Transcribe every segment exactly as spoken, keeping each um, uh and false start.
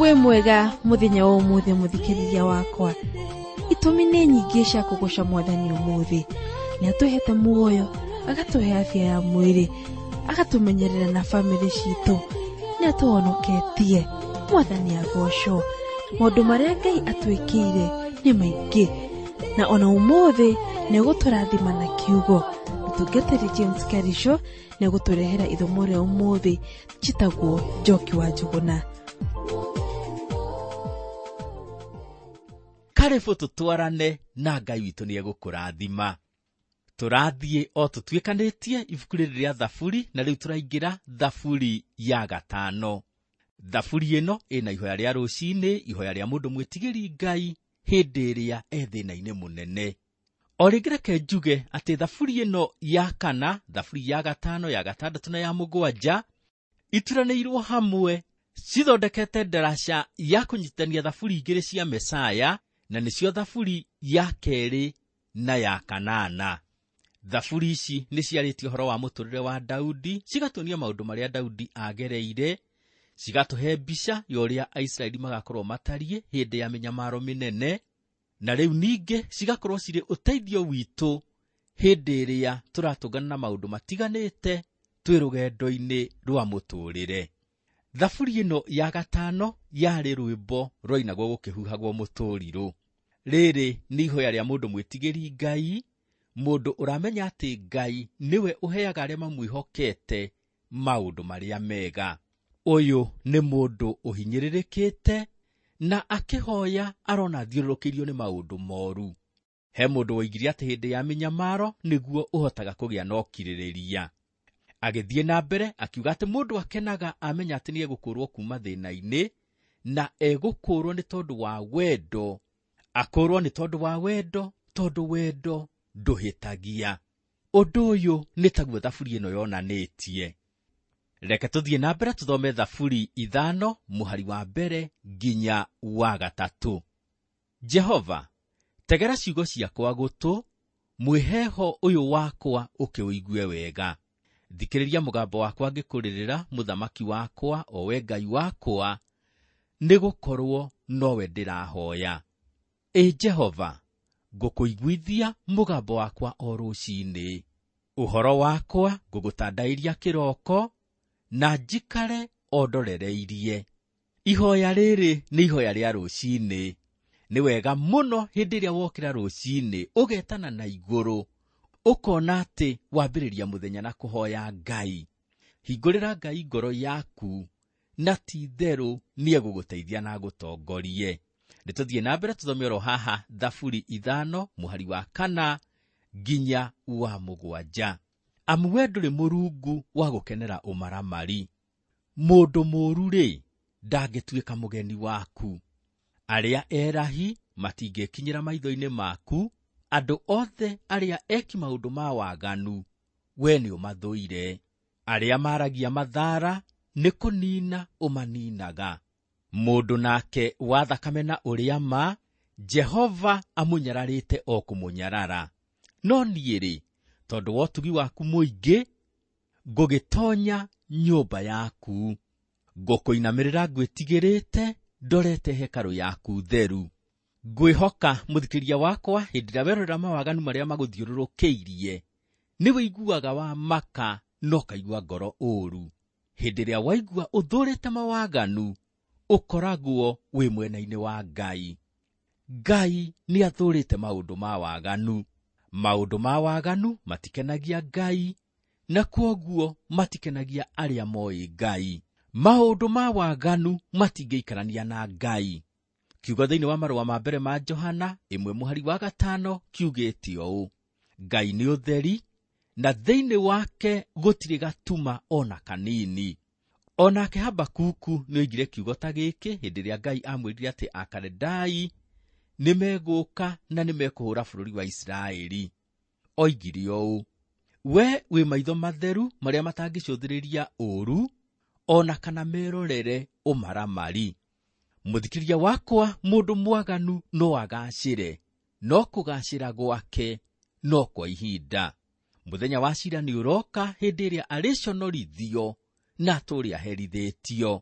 Wĩ mwega mũthenya wa ũmũthĩ mũthikĩrĩria wakwa. Itũmi nĩ nyingĩ cia kũgooca Mwathani ũmũthĩ. Nĩ atũhete muoyo, agatũhe afya ya mwĩrĩ, agatũmenyerera na bamĩrĩ citũ, nĩ atũhonoketie. Mwathani agocwo. Maũndũ marĩa Ngai atwĩkĩire nĩ maingĩ, na ona ũmũthĩ nĩ egũtũrathima na kiugo. Mũtungatĩri James Karisho nĩ egũtũrehera ithomo rĩa ũmũthĩ. Njĩtagwo Njoki wa Njũgũna. Karibu tũtwarane na Ngai witũ nĩ egũkũrathima. Tũrathiĩ o tũtuĩkanĩtie ibuku rĩrĩ rĩa Thaburi, na rĩu tũraingĩra Thaburi ya gatano. Thaburi ĩno ĩna ihoya rĩa rũcinĩ, ihoya rĩa mũndũ mwĩtigĩri Ngai hĩndĩ ĩrĩa e thĩna-inĩ mũnene. O rĩngĩ reke njuge atĩ Thaburi ĩno ya kana, Thaburi ya gatano, ya gatandatũ na ya mũgwanja ituranĩirwo hamwe, cithondekete ndaraca ya kũnyitithania Thaburi igĩrĩ cia Mesaya, na nĩcio Thaburi ya kerĩ na ya kanana. Thaburi ici nĩ ciarĩtie ũhoro wa mũtũrĩre wa Daudi, cigatuonia maũndũ marĩa Daudi agereire, cigatũhe mbica ya ũrĩa Aisiraeli magakorwo matariĩ hĩndĩ ya mĩnyamaro mĩnene, na rĩu ningĩ cigakorwo cirĩ ũteithio witũ hĩndĩ ĩrĩa tũratũngana na maũndũ matiganĩte twĩ rũgendo-inĩ rwa mũtũrĩre. Thaburi ĩno ya gatano yarĩ rwĩmbo rwainagwo gũkĩhuhagwo mũtũrirũ. Rĩrĩ nĩ ihoya rĩa mũndũ mwĩtigĩri Ngai, mũndũ ũramenya atĩ Ngai nĩwe ũheaga arĩa mamwĩhokete maũndũ marĩa mega. Ũyũ nĩ mũndũ ũhinyĩrĩrĩkĩte na akĩhoya arona athiũrũrũkĩirio nĩ maũndũ moru. He mũndũ woigire atĩ hĩndĩ ya mĩnyamaro nĩguo ũhotaga kũgĩa na ũkirĩrĩria. Agĩthiĩ na mbere akiuga atĩ mũndũ akenaga amenya atĩ nĩegũkũũrwo kuma thĩna-inĩ, na egũkũũrwo nĩ tondũ wa wendo. Akũũrwo nĩ tondũ wa wendo, tondũ wendo ndũhĩtagia. Ũndũ ũyũ nĩ taguo Thaburi ĩno yonanĩtie. Reke tũthiĩ na mbere tũthome Thaburi ithano mũhari wa mbere nginya wa gatatũ. Jehova, tegera ciugo ciakwa gũtũ, mwĩheho ũyũ wakwa ũkĩũigue wega. Thikĩrĩria mũgambo wakwa ngĩkũrĩrĩra, mũthamaki wakwa, o we Ngai wakwa, nĩgũkorwo nowe ndĩrahoya. Ĩ Jehova, ngũkũiguithia mũgambo wakwa o rũcinĩ. Ũhoro wakwa ngũgũtandaĩria kĩroko, na njikare o ndorereirie. Ihoya rĩrĩ nĩ ihoya rĩa rũcinĩ. Nĩ wega mũno hĩndĩ ĩrĩa wokĩra rũcinĩ ũgetana na igũrũ, ũkona atĩ wambĩrĩria mũthenya na kũhoya Ngai. Hingũrĩra Ngai ngoro yaku, na ti itherũ nĩegũgũteithia na agũtongorie. Nĩ tũthiĩ na mbere tũthome oro haha Thaburi ithano mũhari wa kana nginya wa mũgwanja. Amu we ndũrĩ mũrungu wa gũkenera ũmaramari. Mũndũ mũũru-rĩ, ndangĩtuĩka mũgeni waku. Arĩa erahi matingĩkinyĩra maitho-inĩ maku. Andũ othe arĩa eki maũndũ ma waganu, we nĩ ũmathũire. Arĩa maragia mathara nĩ kũnina ũmaninaga. Mũndũ nake wa thakame na ũrĩa ma, Jehova amũnyararĩte o kũmũnyarara. No niĩ-rĩ, tondũ wa ũtugi waku mũingĩ, ngũgĩtonya nyũmba yaku. Ngũkũinamĩrĩra ngwĩtigĩrĩte, ndorete hekarũ yaku theru. Ngwĩhoka mũthikĩria wakwa, hĩndĩ ĩrĩa werorera mawaganu marĩa magũthiũrũrũkĩirie, nĩ wĩiguaga wa maka na ũkaigua ngoro ũũru. Hĩndĩ ĩrĩa waigua ũthũrĩte mawaganu, ũkoragwo wĩ mwena-inĩ wa Ngai. Ngai nĩ athũrĩte maũndũ ma waganu. Maũndũ ma waganu matikenagia Ngai, na kwoguo matikenagia arĩa moĩ Ngai. Maũndũ ma waganu matingĩikarania na Ngai. Kiugo thĩinĩ wa marũa ma mbere ma Johana ĩmwe mũhari wa gatano kiugĩte ũũ: Ngai nĩ ũtheri, na thĩinĩ wake gũtirĩ gatuma ona kanini. Onake Habakuku nĩoigire kiugo ta gĩkĩ hĩndĩ ĩrĩa Ngai amwĩrire atĩ Akaledai nĩmegũka na nĩmekũhũra bũrũri wa Isiraeli. Oigire ũũ: we wĩ maitho matheru marĩa matangĩcũthĩrĩria ũũru, ona kana merorere ũmaramari. Mũthikĩria wakwa, mũndũ mwaganu no agacĩre, no kũgacĩra gwake no kwa ihinda. Mũthenya wa cira nĩ ũroka hĩndĩ ĩrĩa arĩconorithio na atũũre aherithĩtio.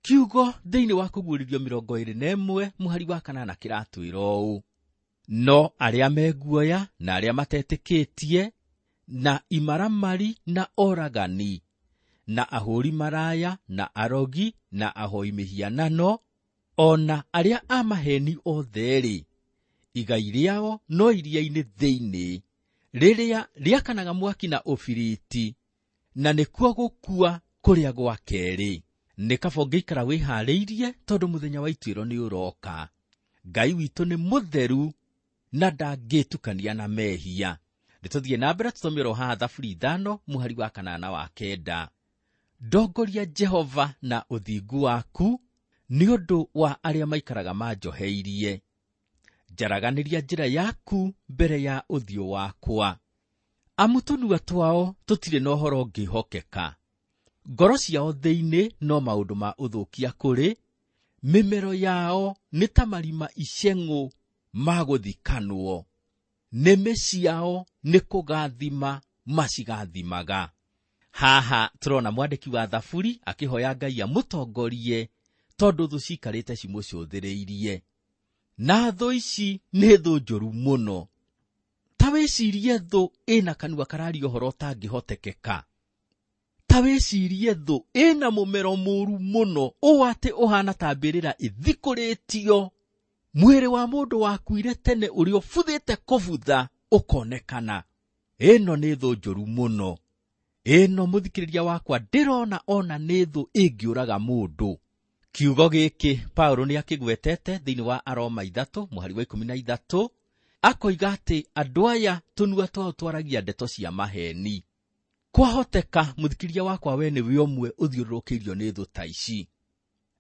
Kiugo thĩinĩ wa kũguũrĩrio mĩrongo ĩĩrĩ na ĩmwe mũhari wa kanana kĩratwĩra ũũ: no arĩa meguoya na arĩa matetĩkĩtie na imaramari na oragani na ahũri maraya na arogi na ahoi mĩhianano o na arĩa a maheni othe-rĩ, igai rĩao no iria-inĩ thĩinĩ rĩrĩa rĩakanaga mwaki na ũbiriti, na nĩkuo gũkua kũrĩa gwa kerĩ. Nĩ kaba ũngĩikara wĩharĩirie tondũ mũthenya wa ituĩro nĩ ũroka. Ngai witũ nĩ mũtheru na ndangĩtukania na mehia. Nĩtũthiĩ na mbere tũthome oro haha Thaburi ithano mũhari wa kanana wa kenda. Ndongoria Jehova na ũthingu waku nĩ ũndũ wa arĩa maikaraga manjoheirie. Njaraganĩria njĩra yaku mbere ya ũthiũ wakwa. Amu tũnua twao tũtirĩ na ũhoro ũngĩhokeka. Ngoro ciao thĩinĩ no maũndũ ma ũthũkia kũrĩ, mĩmero yao nĩ ta marima iceng'ũ ma gũthikanwo. Nĩmĩ ciao nĩ kũgathima macigathimaga. Haha tũrona mwandĩki wa Thaburi akĩhoya Ngai amũtongorie tondũ thũ ciikarĩte cimũcũthĩrĩirie. Na thũ ici nĩ thũ njũru mũno. Ta wĩcirie thũ ĩna kanua kararia ũhoro ũtangĩhotekeka. Ta wĩcirie thũ ĩna mũmero mũru mũno ũũ atĩ ũhana ta mbĩrĩra ĩthikũrĩtio. Mwĩrĩ wa mũndũ wakuire tene ũrĩa ũbuthĩte kũbutha ũkonekana. Ĩno nĩ thũ njũru mũno. Ĩno mũthikĩrĩria wakwa ndĩrona ona nĩ thũ ĩngĩũraga mũndũ. Kiugo gĩkĩ Paulo nĩ akĩgwetete thĩinĩ wa Aroma ithatũ mũhari wa ikũmi na ithatũ, akoiga atĩ andũ aya tũnua twao twaragia ndeto cia maheni. Kwahoteka mũthikĩrĩria wakwa we nĩwe ũmwe ũthiũrũrũkĩirio nĩ thũ ta ici.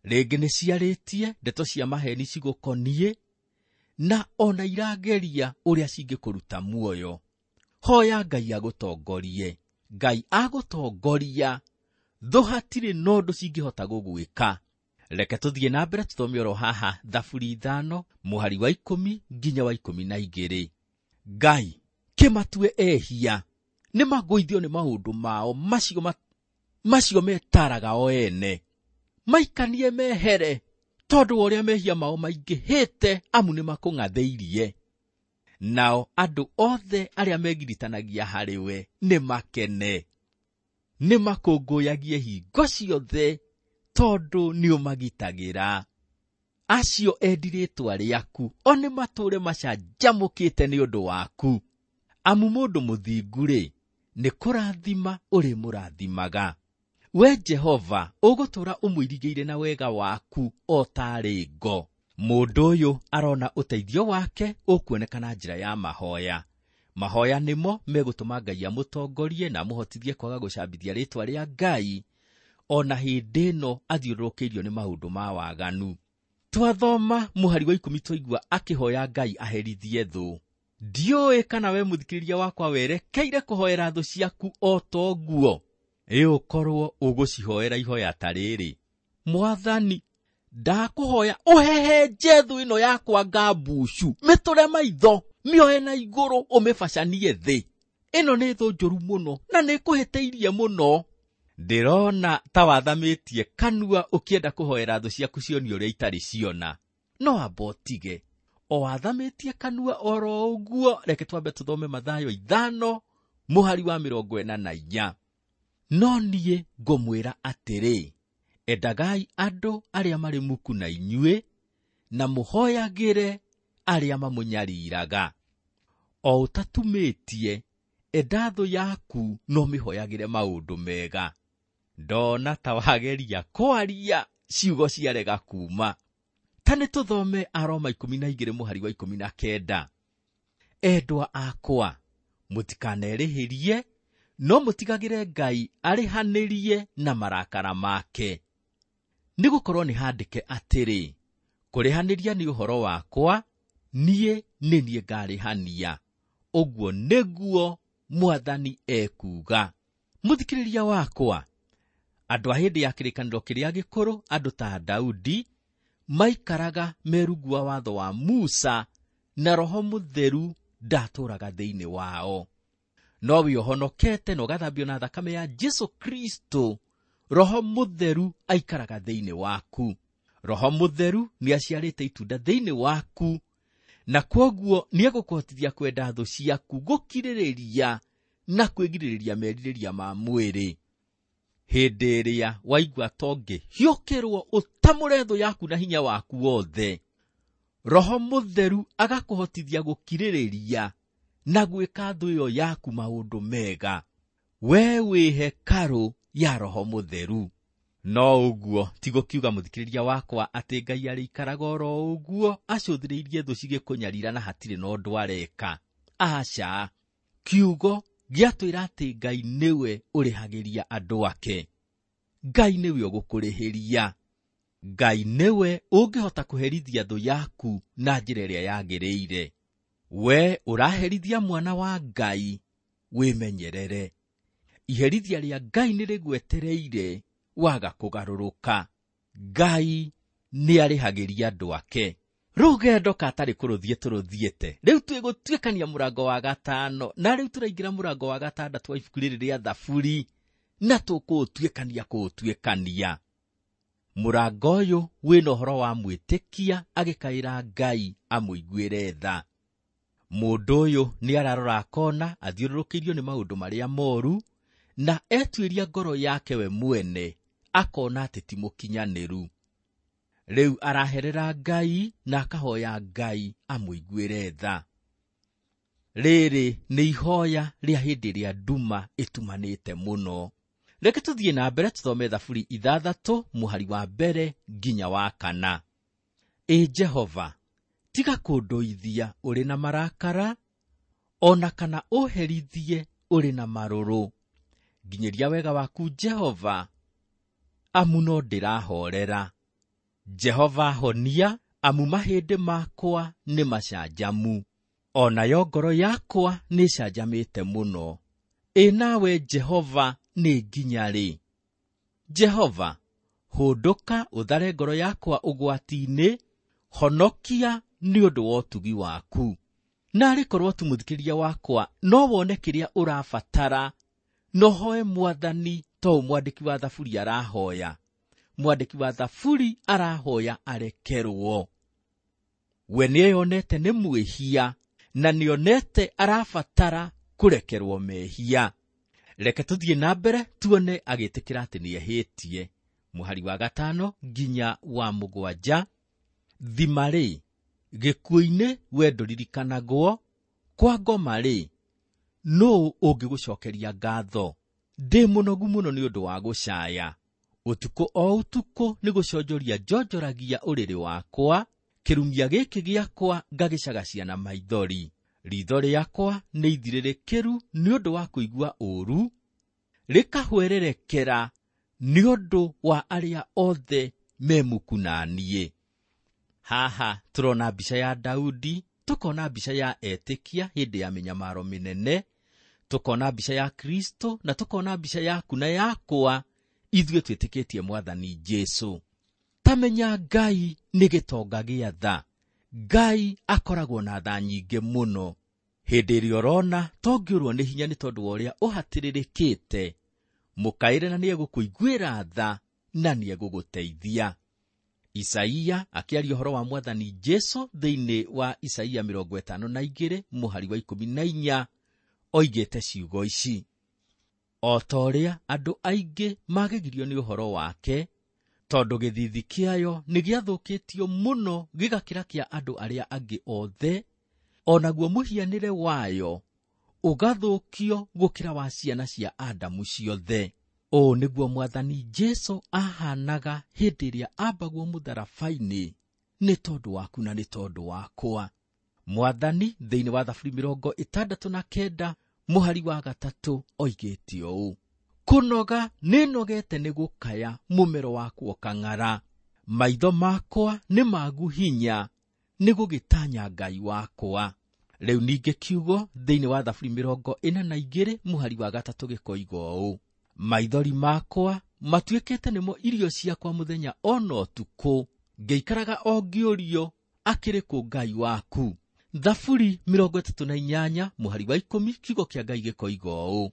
Rĩngĩ nĩ ciarĩtie ndeto cia maheni cigũkoniĩ na ona irageria ũrĩa cingĩkũruta muoyo. Hoya Ngai agũtongorie. Ngai agũtongoria, thũ hatirĩ na ũndũ cingĩhota gũgwĩka. Reke tũthiĩ na mbere tũthome oro haha Thaburi ithano mũhari wa ikũmi nginya wa ikũmi na igĩrĩ. Ngai kĩmatue ehia, nĩmagũithio nĩ maũndũ mao macio ma, macio metaraga o ene. Maikanie mehere tondũ wa ũrĩa mehia mao maingĩhĩte, amu nĩmakũng'athĩirie. Nao andũ othe arĩa megiritanagia harĩ we nĩmakene, nĩmakũngũyagie hingo ciothe tondũ nĩũmagitagĩra. Acio endi rĩĩtwa rĩaku o nĩmatũũre macanjamũkĩte nĩ ũndũ waku. Amu mũndũ mũthingu-rĩ, nĩ kũrathima ũrĩmũrathimaga. We Jehova ũgũtũũra ũmũirigĩire na wega waku o taarĩ ngo. Mũndũ ũyũ arona ũteithio wake ũkuoneka na njĩra ya mahoya. Mahoya nĩmo megũtũma Ngai amũtongorie na amũhotithie kwaga gũcambithia rĩĩtwa rĩa Ngai ona hĩndĩ ĩno athiũrũrũkĩirio nĩ maũndũ ma waganu. Twathoma mũhari wa ikũmi twaigua akĩhoya Ngai aherithie thũ. Ndiũĩ kana we mũthikĩrĩria wakwa werekeire kũhoera thũ ciaku o toguo. Ĩ ũkorwo ũgũcihoera ihoya ta rĩrĩ: Mwathani, ndakũhoya ũhehenje thũ ĩno yakwa ngambucu, mĩtũre maitho, mĩoe na igũrũ ũmĩbacanie thĩ. Ĩno nĩ thũ njũru mũno na nĩĩkũhĩtĩirie mũno. Ndĩrona ta wathamĩtie kanua ũkĩenda kũhoera thũ ciaku cionio ũrĩa itarĩ ciona. No amba ũtige. O wathamĩtie kanua oro ũguo, reke twambe tũthome Mathayo ithano mũhari wa mĩrongo ĩna na inya. No niĩ ngũmwĩra atĩrĩ, endagai andũ arĩa marĩ muku na inyuĩ, na mũhoyagĩre arĩa mamũnyariraga. O ũtatumĩtie, enda thũ yaku no mĩhoyagĩre maũndũ mega. Ndona ta wageria kwaria ciugo ciarega kuma. Ta nĩ tũthome Aroma ikũmi na igĩrĩ mũhari wa ikũmi na kenda. Endwa akwa, mũtikanerĩhĩrie, no mũtigagĩre Ngai arĩhanĩrie na marakara make. Nĩgũkorwo nĩ handĩke atĩrĩ, kũrĩhanĩria nĩ ũhoro wakwa, niĩ nĩ niĩ ngarĩhania. Ũguo nĩguo Mwathani ekuuga. Mũthikĩrĩria wakwa, andũ a hĩndĩ ya kĩrĩkanĩro kĩrĩa gĩkũrũ, andũ ta Daudi, maikaraga merungu wa watho wa Musa, na Roho Mũtheru ndatũũraga thĩinĩ wao. No wĩ ũhonokete na ũgathambio na thakame ya Jesu Kristo, Roho Mũtheru aikaraga thĩinĩ waku. Roho Mũtheru nĩaciarĩte itunda thĩinĩ waku, na kwoguo nĩegũkũhotithia kwenda thũ ciaku, gũkirĩrĩria na kwĩgirĩrĩria merirĩria ma mwĩrĩ. Hĩndĩ ĩrĩa waigua tongĩhiũkĩrwo ũtamũre thũ yaku na hinya waku wothe, Roho Mũtheru agakũhotithia gũkirĩrĩria na gwĩka thũ ĩyo yaku maũndũ mega. We wĩ hekarũ ya Roho Mũtheru. No ũguo ti gũkiuga mũthikĩrĩria wakwa atĩ Ngai arĩikaraga oro ũguo acũthĩrĩirie thũ cigĩkũnyarira na hatirĩ na ũndũ areka. Aca, kiugo gĩatwĩra atĩ Ngai nĩwe ũrĩhagĩria andũ ake. Ngai nĩwe ũgũkũrĩhĩria. Ngai nĩwe ũngĩhota kũherithia thũ yaku na njĩra ĩrĩa yagĩrĩire. We ũraherithia mwana wa Ngai, wĩmenyerere. Iherithia rĩa Ngai nĩrĩgwetereire waga kũgarũrũka. Ngai nĩarĩhagĩria andũ ake. Rũgendo katarĩ kũrũthiĩ tũrũthiĩte. Rĩu twĩgũtuĩkania mũrango wa gatano, na rĩu tũraingĩra mũrango wa gatandatũ wa ibuku rĩrĩ rĩa Thaburi, na tũkũũtuĩkania kũũtuĩkania. Mũrango ũyũ wĩna ũhoro wa mwĩtĩkia agĩkaĩra Ngai amũiguĩre tha. Mũndũ ũyũ nĩararora akona athiũrũrũkĩirio nĩ maũndũ marĩa moru, na etuĩria ngoro yake we mwene akona atĩ ti mũkinyanĩru. Rĩu araherera Ngai na akahoya Ngai amũiguĩre tha. Rĩrĩ nĩ ihoya rĩa hĩndĩ ĩrĩa nduma ĩtumanĩte mũno. Reke tũthiĩ na mbere tũthome Thaburi ithathatũ mũhari wa mbere nginya wa kana. Ĩ Jehova, tiga kũndũithia ũrĩ na marakara, o na kana ũherithie ũrĩ na marũrũ. Nginyĩria wega waku Jehova, amu no ndĩrahorera. Jehova honia, amu mahĩndĩ makwa nĩ macanjamu, o nayo ngoro yakwa nĩĩcanjamĩte mũno. Ĩ nawe Jehova nĩ nginya rĩ? Jehova, hũndũka ũthare ngoro yakwa ũgwati-inĩ, honokia nĩ ũndũ wa ũtugi waku. Naarĩ korwo tu mũthikĩrĩria wakwa no wone kĩrĩa ũrabatara, no hoe Mwathani to ũũ mwandĩki wa Thaburi arahoya. Mwandĩki wa Thaburi arahoya arekerwo. We nĩeyonete nĩ mwĩhia, na nĩonete arabatara kũrekerwo mehia. Reke tũthiĩ na mbere tuone agĩtĩkĩra atĩ nĩehĩtie. Mũhari wa gatano nginya wa mũgwanja. Thima-rĩ, gĩkuũ-inĩ we ndũririkanagwo, kwa ngoma-rĩ, nũũ ũngĩgũcokeria ngatho? Ndĩ mũnogu mũno nĩ ũndũ wa gũcaya. Ũtukũ o ũtukũ nĩ gũconjoria njonjoragia ũrĩrĩ wakwa, kĩrumia gĩkĩ gĩakwa ngagĩcagacia na maithori. Ritho rĩakwa nĩ ithirĩrĩkĩru nĩ ũndũ wa kũigua ũũru, rĩkahwererekera nĩ ũndũ wa arĩa othe me muku na niĩ. Haha tũrona mbica ya Daudi, tũkona mbica ya etĩkia hĩndĩ ya mĩnyamaro mĩnene, tũkona mbica ya Kristo, na tũkona mbica yaku na yakwa, ithuĩ twĩtĩkĩtie Mwathani Jesũ. Tamenya Ngai nĩ gĩtonga gĩa tha. Ngai akoragwo na tha nyingĩ mũno. Hĩndĩ ĩrĩa ũrona tongĩũrwo nĩ hinya nĩ tondũ wa ũrĩa ũhatĩrĩrĩkĩte, mũkaĩre na nĩegũkũiguĩra tha na nĩegũgũteithia. Isaia akĩaria ũhoro wa Mwathani Jesũ thĩinĩ wa Isaia mĩrongo ĩtano na igĩrĩ mũhari wa ikũmi na inya oigĩte ciugo ici: o ta ũrĩa andũ aingĩ magegirio nĩ ũhoro wake, tondũ gĩthithi kĩayo nĩ gĩathũkĩtio mũno gĩgakĩra kĩa andũ arĩa angĩ othe, o naguo mũhianĩre wayo ũgathũkio gũkĩra wa ciana cia Adamu ciothe. Ũũ nĩguo Mwathani Jesũ ahanaga hĩndĩ ĩrĩa ambagwo mũtharaba-inĩ nĩ tondũ waku na nĩ tondũ wakwa. Mwathani thĩinĩ wa Thaburi mĩrongo ĩtandatũ na kenda mũhari wa gatatũ oigĩte ũũ: kũnoga nĩnogete nĩ gũkaya mũmero wakwa ũkang'ara, maitho makwa nĩ magu hinya nĩ gũgĩtanya Ngai wakwa. Rĩu ningĩ kiugo thĩinĩ wa Thaburi mĩrongo ĩna na igĩrĩ mũhari wa gatatũ gĩkoiga ũũ: maithori makwa matuĩkĩte nĩmo irio ciakwa mũthenya ona ũtukũ, ngĩikaraga o ngĩũrio akĩrĩ kũ Ngai waku. Thaburi mĩrongo ĩtatũ na inyanya mũhari wa ikũmi kiugo kĩa Ngai gĩkoiga ũũ: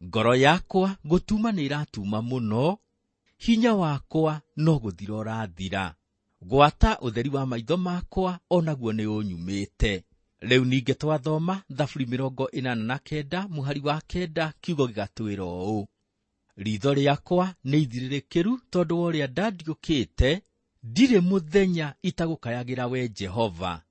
Ngoro yakwa gũtuma nĩ ĩratuma mũno, hinya wakwa no gũthira ũrathira. Gwata ũtheri wa maitho makwa o naguo nĩ ũnyumĩte. Rĩu ningĩ twathoma Thaburi mĩrongo ĩnana na kenda mũhari wa kenda kiugo gĩgatwĩra ũũ: Ritho rĩakwa nĩ ithirĩrĩkĩru tondũ wa ũrĩa ndandiũkĩte, ndirĩ mũthenya itagũkayagĩra we Jehova,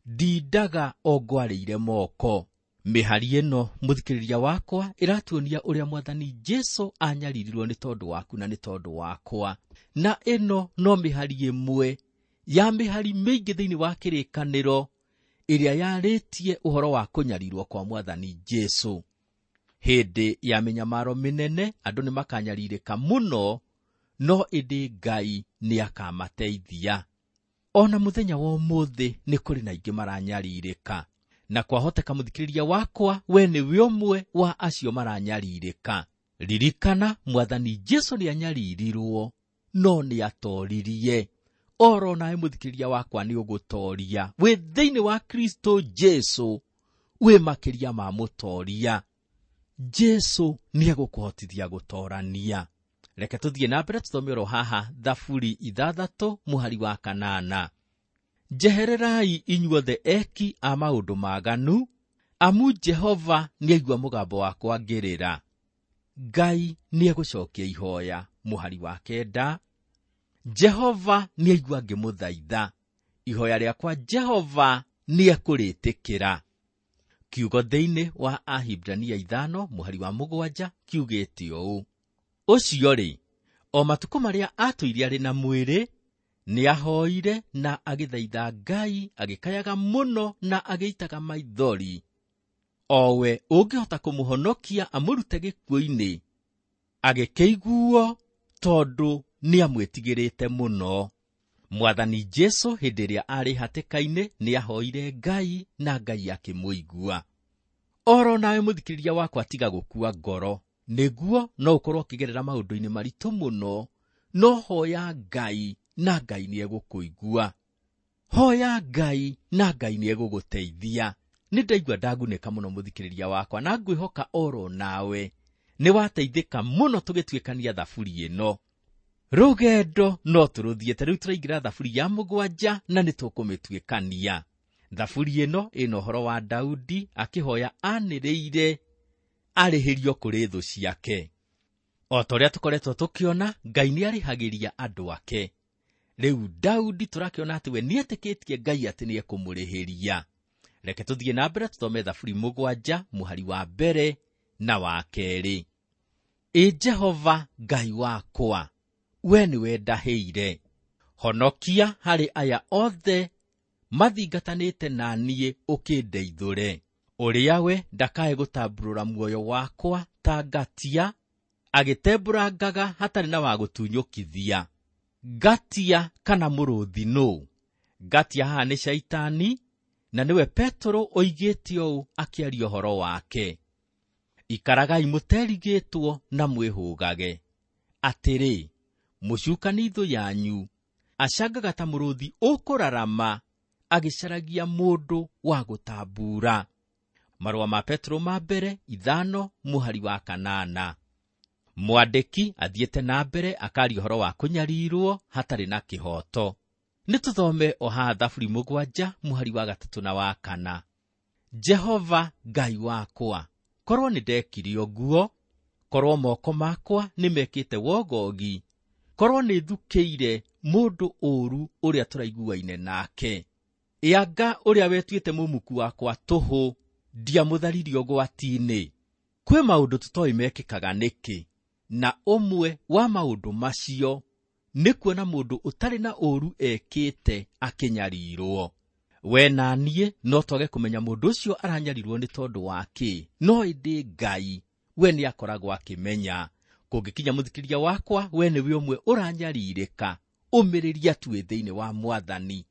ndindaga o ngwarĩire moko. Mĩhari ĩno mũthikĩrĩria wakwa ĩratuonia ũrĩa Mwathani Jesu anyaririrwo nĩ tondũ waku na nĩ tondũ wakwa. Na ĩno no mĩhari ĩmwe ya mĩhari mĩingĩ thĩinĩ wa kĩrĩkanĩro ĩrĩa yarĩtie ũhoro wa kũnyarirwo kwa Mwathani Jesu. Hĩndĩ ya mĩnyamaro mĩnene andũ nĩ makanyarirĩka mũno, no ĩndĩ Ngai nĩ akamateithia. Ona mũthenya wa ũmũthĩ nĩ kũrĩ na aingĩ maranyarirĩka, na kwahoteka mũthikĩrĩria wakwa we nĩwe ũmwe wa acio maranyarirĩka. Ririkana Mwathani Jesu nĩ anyaririrwo, no nĩ atoririe. Oro nawe mũthikĩrĩria wakwa nĩ ũgũtoria. Wĩ thĩinĩ wa Kristo Jesu, wĩ makĩria ma mũtoria. Jesu nĩ egũkũhotithia gũtorania. Reke tũthiĩ na mbere tũthome oro haha Thaburi ithathatũ mũhari wa kanana. Njehererai inyuothe eki a maũndũ maganu, amu Jehova nĩaigua mũgambo wakwa ngĩrĩra. Ngai nĩegũcokia ihoya. Mũhari wa kenda. Jehova nĩaigua ngĩmũthaitha, ihoya rĩakwa Jehova nĩekũrĩtĩkĩra. Kiugo thĩinĩ wa Ahibrania ithano mũhari wa mũgwanja kiugĩte ũũ: Ũcio-rĩ, o matukũ marĩa atũire arĩ na mwĩrĩ, nĩahoire na agĩthaitha Ngai, agĩkayaga mũno na agĩitaga maithori, o we ũngĩhota kũmũhonokia amũrute gĩkuũ-inĩ, agĩkĩiguo tondũ nĩamwĩtigĩrĩte mũno. Mwathani Jesu hĩndĩ ĩrĩa arĩ hatĩka-inĩ nĩahoire Ngai na Ngai akĩmũigua. Oro nawe mũthikĩrĩria wakwa tiga gũkua ngoro, nĩguo no ũkorwo ũkĩgerera maũndũ-inĩ maritũ mũno, no hoya Ngai na Ngai nĩegũkũigua. Hoya Ngai na Ngai nĩegũgũteithia. Nĩ ndaigua ndagunĩka mũno mũthikĩrĩria wakwa, na ngwĩhoka oro nawe nĩwateithĩka mũno tũgĩtuĩkania thaburi ĩno. Rũgendo no tũrũthiĩte, rĩu tũraingĩra thaburi ya mũgwanja na nĩtũkũmĩtuĩkania. Thaburi ĩno ĩna ũhoro wa Daudi akĩhoya anĩrĩire arĩhĩrio kũrĩ thũ ciake. O ta ũrĩa tũkoretwo tũkĩona, Ngai nĩarĩhagĩria andũ ake. Rĩu Daudi tũrakĩona atĩ we nĩetĩkĩtie Ngai atĩ nĩekũmũrĩhĩria. Reke tũthiĩ na mbere tũthome thaburi mũgwanja mũhari wa mbere na wa kerĩ. Ĩ Jehova Ngai wakwa, we nĩwe ndahĩire, honokia harĩ aya othe mathingatanĩte na niĩ ũkĩndeithũre. Ũrĩa we ndakae gũtamburũra muoyo wakwa ta ngatia, agĩtembũrangaga hatarĩ na wa gũtunyũkithia. Ngatia kana mũrũthi nũ? Ngatia haha nĩ Shaitani, na nĩwe Petero oigĩte ũũ akĩaria ũhoro wake: Ikaragai mũterigĩtwo na mwĩhũgage. Atĩrĩ, mũcukani thũ yanyu acangaga ta mũrũthi ũkũrarama, agĩcaragia mũndũ wa gũtambura. Marũa ma Petero ma mbere ithano mũhari wa kanana. Mwandĩki athiĩte na mbere akaria ũhoro wa kũnyarirwo hatarĩ na kĩhooto. Nĩ tũthome o haha thaburi mũgwanja mũhari wa gatatũ na wa kana. Jehova Ngai wakwa, korwo nĩ ndekire ũguo, korwo moko makwa nĩmekĩte wogogi, korwo nĩ thukĩire mũndũ ũũru ũrĩa tũraiguaine nake. Ĩanga ũrĩa wetuĩte mũmuku wakwa tũhũ, ndiamũtharirie ũgwati-inĩ. Kwĩ maũndũ tũtoĩ mekĩkaga nĩkĩ, na ũmwe wa maũndũ macio nĩ kuona mũndũ ũtarĩ na ũũru ekĩte akĩnyarirwo. We na niĩ no twage kũmenya mũndũ ũcio aranyarirwo nĩ tondũ wa kĩ, no ĩndĩ Ngai we nĩakoragwo akĩmenya. Kũngĩkinya mũthikĩrĩria wakwa, we nĩwe ũmwe ũranyarirĩka, ũmĩrĩria tu wĩ thĩinĩ wa Mwathani.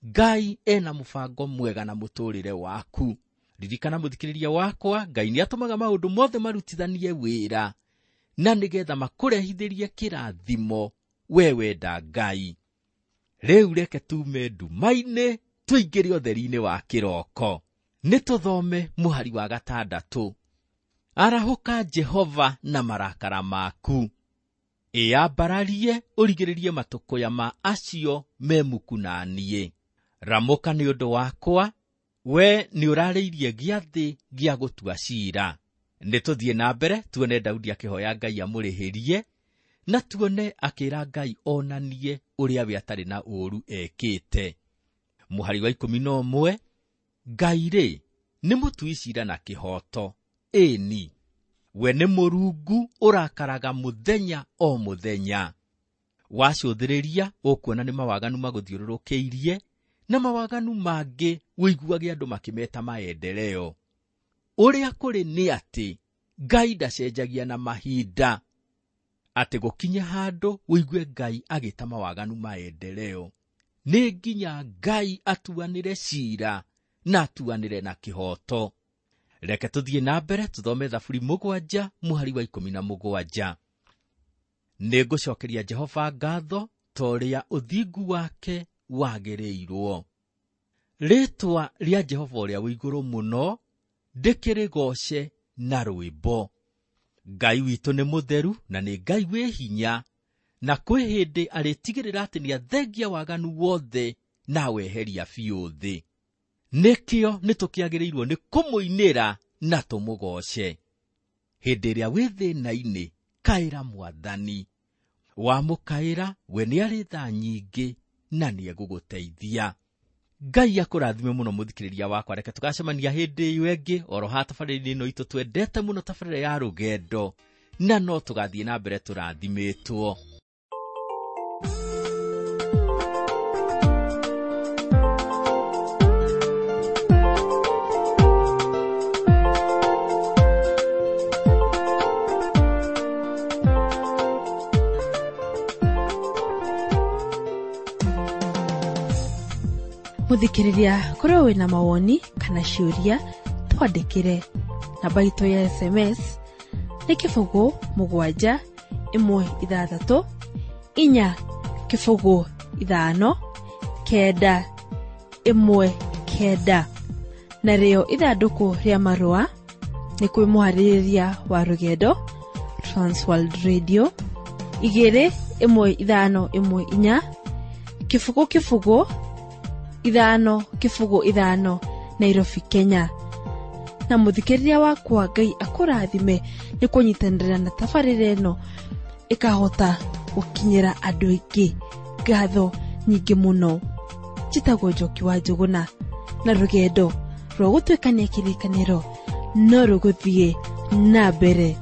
Ngai ena mũbango mwega na mũtũrĩre waku. Ririkana mũthikĩrĩria wakwa, Ngai nĩatũmaga maũndũ mothe marutithanie wĩra na nĩgetha makũrehithĩrie kĩrathimo we wenda Ngai. Rĩu reke tume nduma-inĩ tũingĩre ũtheri-inĩ wa kĩroko. Nĩ tũthome mũhari wa gatandatũ. Arahũka Jehova na marakara maku, ĩyambararie ũrigĩrĩrie matũkũya ma acio me muku na niĩ. Ramũka nĩ ũndũ wakwa, we nĩũrarĩirie gĩathĩ gĩa gũtua ciira. Nĩ tũthiĩ na mbere tuone Daudi akĩhoya Ngai amũrĩhĩrie, na tuone akĩra Ngai onanie ũrĩa we atarĩ na ũũru ekĩte. Mũhari wa ikũmi na ũmwe, Ngai rĩ nĩ mũtui ciira na kĩhooto, ĩni we nĩ Mũrungu ũrakaraga mũthenya o mũthenya. Wacũthĩrĩria ũkuona nĩ mawaganu magũthiũrũrũkĩirie, na mawaganu mangĩ ũiguage andũ makĩmeta maendeleo. Ũrĩa kũrĩ nĩ atĩ Ngai ndacenjagia na mahinda, atĩ gũkinye handũ ũigue Ngai agĩta mawaganu maendeleo. Nĩ nginya Ngai atuanĩre ciira na atuanĩre na kĩhooto. Reke tũthiĩ na mbere tũthome Thaburi mũgwanja mũhari wa ikũmi na mũgwanja. Nĩngũcokeria Jehova ngatho ta ũrĩa ũthingu wake wagĩrĩirwo. Rĩĩtwa rĩa Jehova ũrĩa wĩ igũrũ mũno ndĩkĩrĩgooce na rwĩmbo. Ngai witũ nĩ mũtheru na nĩ Ngai wĩ hinya, na kwĩ hĩndĩ arĩtigĩrĩra atĩ nĩathengia waganu wothe na aweheria biũ thĩ. Nĩkĩo nĩtũkĩagĩrĩirwo nĩ kũmũinĩra na tũmũgooce. Hĩndĩ ĩrĩa wĩ thĩna-inĩ, kaĩra Mwathani. Wamũkaĩra, we nĩarĩ tha nyingĩ na nĩegũgũteithia. Ngai akũrathime mũno mũthikĩrĩria wakwa. Reke tũgacemania hĩndĩ ĩyo ĩngĩ oro haha tabarĩra-inĩ ĩno itũ twendete mũno, tabarĩra ya rũgendo, na no tũgathiĩ na mbere tũrathimĩtwo. Muthikiriria korwo wina mawoni kana ciũria twandĩkĩre. Namba itũ ya S M S nĩ kĩbũgũ mũgwanja ĩmwe ithathatũ inya kĩbũgũ ithano kenda ĩmwe kenda. Narĩo ithandũkũ rĩa marũa nĩ kwĩ mũharĩrĩria wa rũgendo Transworld Radio igĩrĩ ĩmwe ithano ĩmwe inya kĩbũgũ kĩbũgũ ithano kĩbũgũ ithano Nairobi, Kenya. Na muthikĩrĩria wakwa Ngai akũrathime nĩ kũnyitanĩra na tabarĩra ĩno ĩkahota gũkinyĩra andũ aingĩ. Ngatho nyingĩ mũno. Njĩtagwo Njoki wa Njũgũna, na rũgendo rwa gũtuĩkania kĩrĩkanĩro no rũgũthiĩ na mbere.